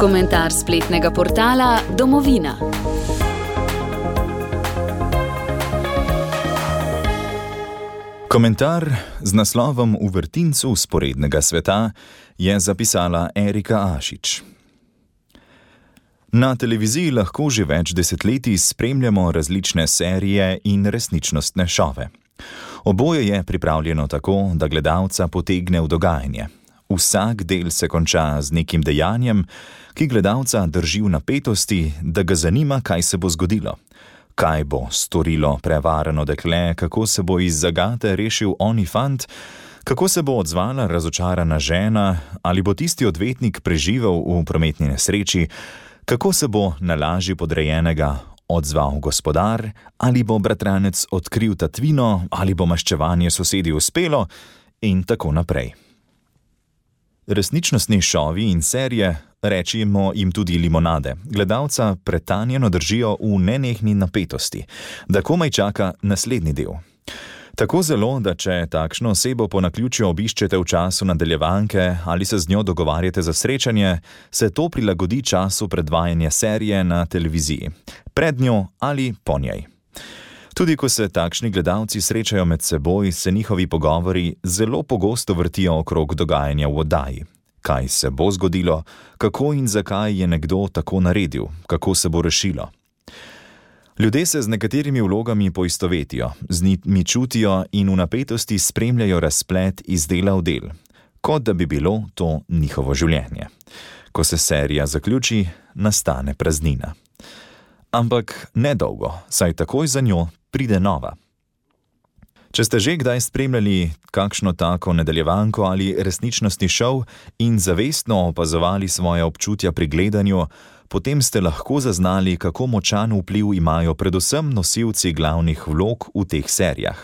Komentar spletnega portala Domovina. Komentar z naslovom V vrtincu vzporednega sveta je zapisala Erika Ašič. Na televiziji lahko že več desetletij spremljamo različne serije in resničnostne šove. Oboje je pripravljeno tako, da gledalca potegne v dogajanje. Vsak del se konča z nekim dejanjem, ki gledalca drži v napetosti, da ga zanima, kaj se bo zgodilo. Kaj bo storilo prevarano dekle, kako se bo iz zagate rešil oni fant, kako se bo odzvala razočarana žena, ali bo tisti odvetnik preživel v prometni nesreči, kako se bo na laži podrejenega odzval gospodar, ali bo bratranec odkril tatvino, ali bo maščevanje sosedi uspelo in tako naprej. Resničnostni šovi in serije, rečimo jim tudi limonade, gledalca pretanjeno držijo v nenehni napetosti, da komaj čaka naslednji del. Tako zelo, da če takšno osebo po naključju obiščete v času nadaljevanke ali se z njo dogovarjate za srečanje, se to prilagodi času predvajanja serije na televiziji, pred njo ali po njej. Tudi ko se takšni gledalci srečajo med seboj, se njihovi pogovori zelo pogosto vrtijo okrog dogajanja v oddaji. Kaj se bo zgodilo, kako in zakaj je nekdo tako naredil, kako se bo rešilo. Ljudje se z nekaterimi vlogami poistovetijo, z njimi čutijo in v napetosti spremljajo razplet iz dela v del, kot da bi bilo to njihovo življenje. Ko se serija zaključi, nastane praznina. Ampak nedolgo, saj takoj za njo pride nova. Če ste že kdaj spremljali kakšno tako nadaljevanko ali resničnostni šov in zavestno opazovali svoje občutja pri gledanju, potem ste lahko zaznali, kako močan vpliv imajo predvsem nosilci glavnih vlog v teh serijah.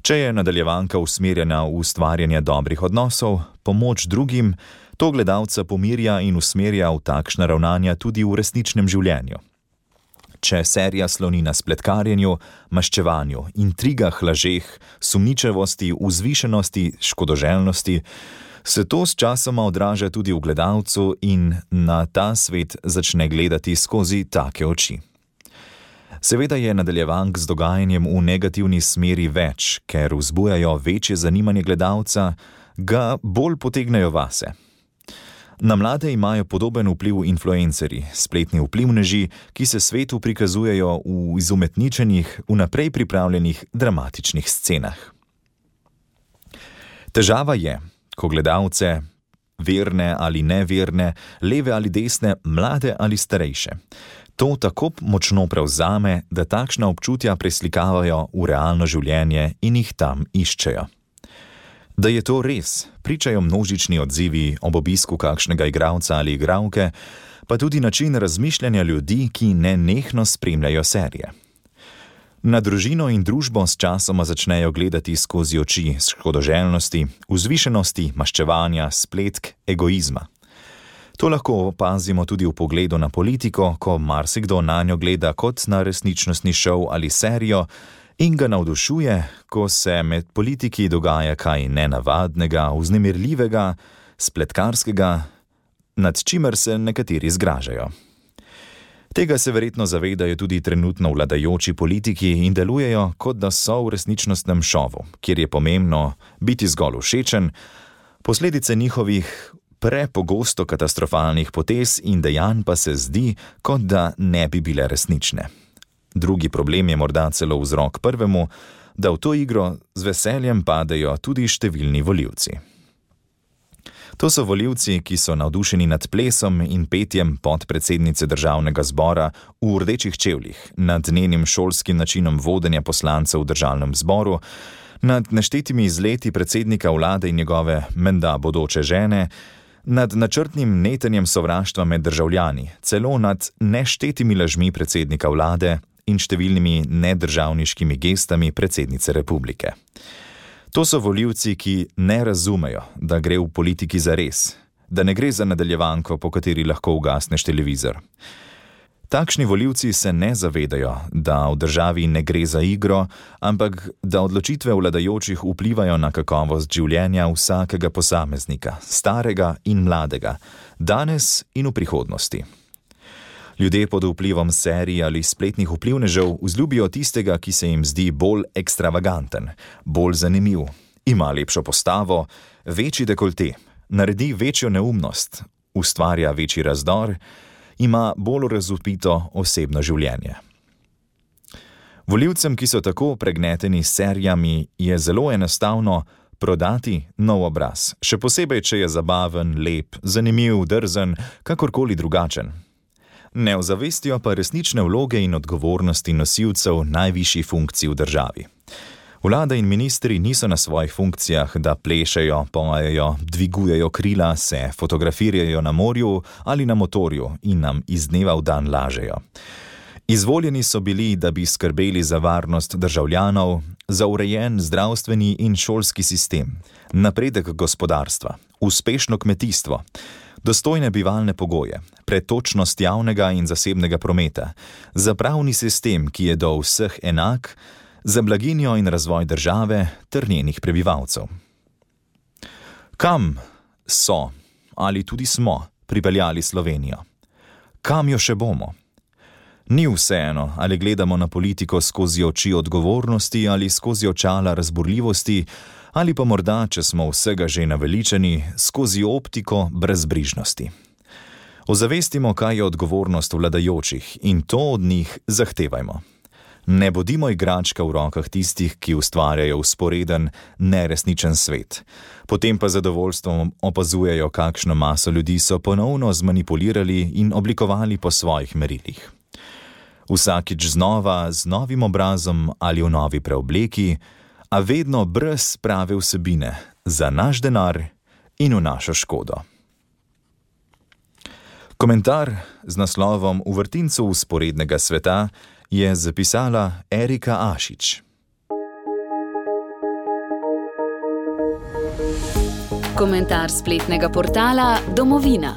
Če je nadaljevanka usmerjena v ustvarjanje dobrih odnosov, pomoč drugim, to gledalca pomirja in usmerja v takšna ravnanja tudi v resničnem življenju. Če serija sloni na spletkarjenju, maščevanju, intrigah, lažeh, sumničavosti, vzvišenosti, škodoželjnosti, se to sčasoma odraža tudi v gledalcu in na ta svet začne gledati skozi take oči. Seveda je nadaljevank z dogajanjem v negativni smeri več, ker vzbujajo večje zanimanje gledalca, ga bolj potegnejo vase. Na mlade imajo podoben vpliv influencerji, spletni vplivneži, ki se svetu prikazujejo v izumetničenih, vnaprej pripravljenih dramatičnih scenah. Težava je, ko gledalce, verne ali neverne, leve ali desne, mlade ali starejše, to tako močno prevzame, da takšna občutja preslikavajo v realno življenje in jih tam iščejo. Da je to res, pričajo množični odzivi ob obisku kakšnega igralca ali igralke, pa tudi način razmišljanja ljudi, ki nenehno spremljajo serije. Na družino in družbo s časoma začnejo gledati skozi oči škodoželjnosti, vzvišenosti, maščevanja, spletk, egoizma. To lahko opazimo tudi v pogledu na politiko, ko marsikdo nanjo gleda kot na resničnostni šov ali serijo, in ga navdušuje, ko se med politiki dogaja kaj nenavadnega, vznemirljivega, spletkarskega, nad čimer se nekateri zgražajo. Tega se verjetno zavedajo tudi trenutno vladajoči politiki in delujejo, kot da so v resničnostnem šovu, kjer je pomembno biti zgolj všečen, posledice njihovih prepogosto katastrofalnih potez in dejanj pa se zdi, kot da ne bi bile resnične. Drugi problem je morda celo vzrok prvemu, da v to igro z veseljem padejo tudi številni volivci. To so volivci, ki so navdušeni nad plesom in petjem podpredsednice državnega zbora v rdečih čevljih, nad njenim šolskim načinom vodenja poslancev v državnem zboru, nad neštetimi izleti predsednika vlade in njegove menda bodoče žene, nad načrtnim netenjem sovraštva med državljani, celo nad neštetimi lažmi predsednika vlade in številnimi nedržavniškimi gestami predsednice republike. To so volivci, ki ne razumejo, da gre v politiki za res, da ne gre za nadaljevanko, po kateri lahko ugasneš televizor. Takšni volivci se ne zavedajo, da v državi ne gre za igro, ampak da odločitve vladajočih vplivajo na kakovost življenja vsakega posameznika, starega in mladega, danes in v prihodnosti. Ljudje pod vplivom serij ali spletnih vplivnežev vzljubijo tistega, ki se jim zdi bolj ekstravaganten, bolj zanimiv, ima lepšo postavo, večji dekolte, naredi večjo neumnost, ustvarja večji razdor, ima bolj razvpito osebno življenje. Volivcem, ki so tako pregneteni s serijami, je zelo enostavno prodati nov obraz, še posebej, če je zabaven, lep, zanimiv, drzen, kakorkoli drugačen. Ne ozavestijo pa resnične vloge in odgovornosti nosilcev najvišjih funkcij v državi. Vlada in ministri niso na svojih funkcijah, da plešejo, pojejo, dvigujejo krila, se fotografirajo na morju ali na motorju in nam iz dneva v dan lažejo. Izvoljeni so bili, da bi skrbeli za varnost državljanov, za urejen zdravstveni in šolski sistem, napredek gospodarstva, uspešno kmetijstvo, dostojne bivalne pogoje, pretočnost javnega in zasebnega prometa, za pravni sistem, ki je do vseh enak, za blaginjo in razvoj države ter njenih prebivalcev. Kam so ali tudi smo pripeljali Slovenijo? Kam jo še bomo? Ni vseeno, ali gledamo na politiko skozi oči odgovornosti ali skozi očala razburljivosti, ali pa morda, če smo vsega že naveličeni, skozi optiko brezbrižnosti. Ozavestimo, kaj je odgovornost vladajočih in to od njih zahtevajmo. Ne bodimo igračka v rokah tistih, ki ustvarjajo vzporeden, neresničen svet. Potem pa zadovoljstvom opazujejo, kakšno maso ljudi so ponovno zmanipulirali in oblikovali po svojih merilih. Vsakič znova, z novim obrazom ali v novi preobleki, a vedno brez prave vsebine, za naš denar in v našo škodo. Komentar z naslovom V vrtincu vzporednega sveta je zapisala Erika Ašič. Komentar spletnega portala Domovina.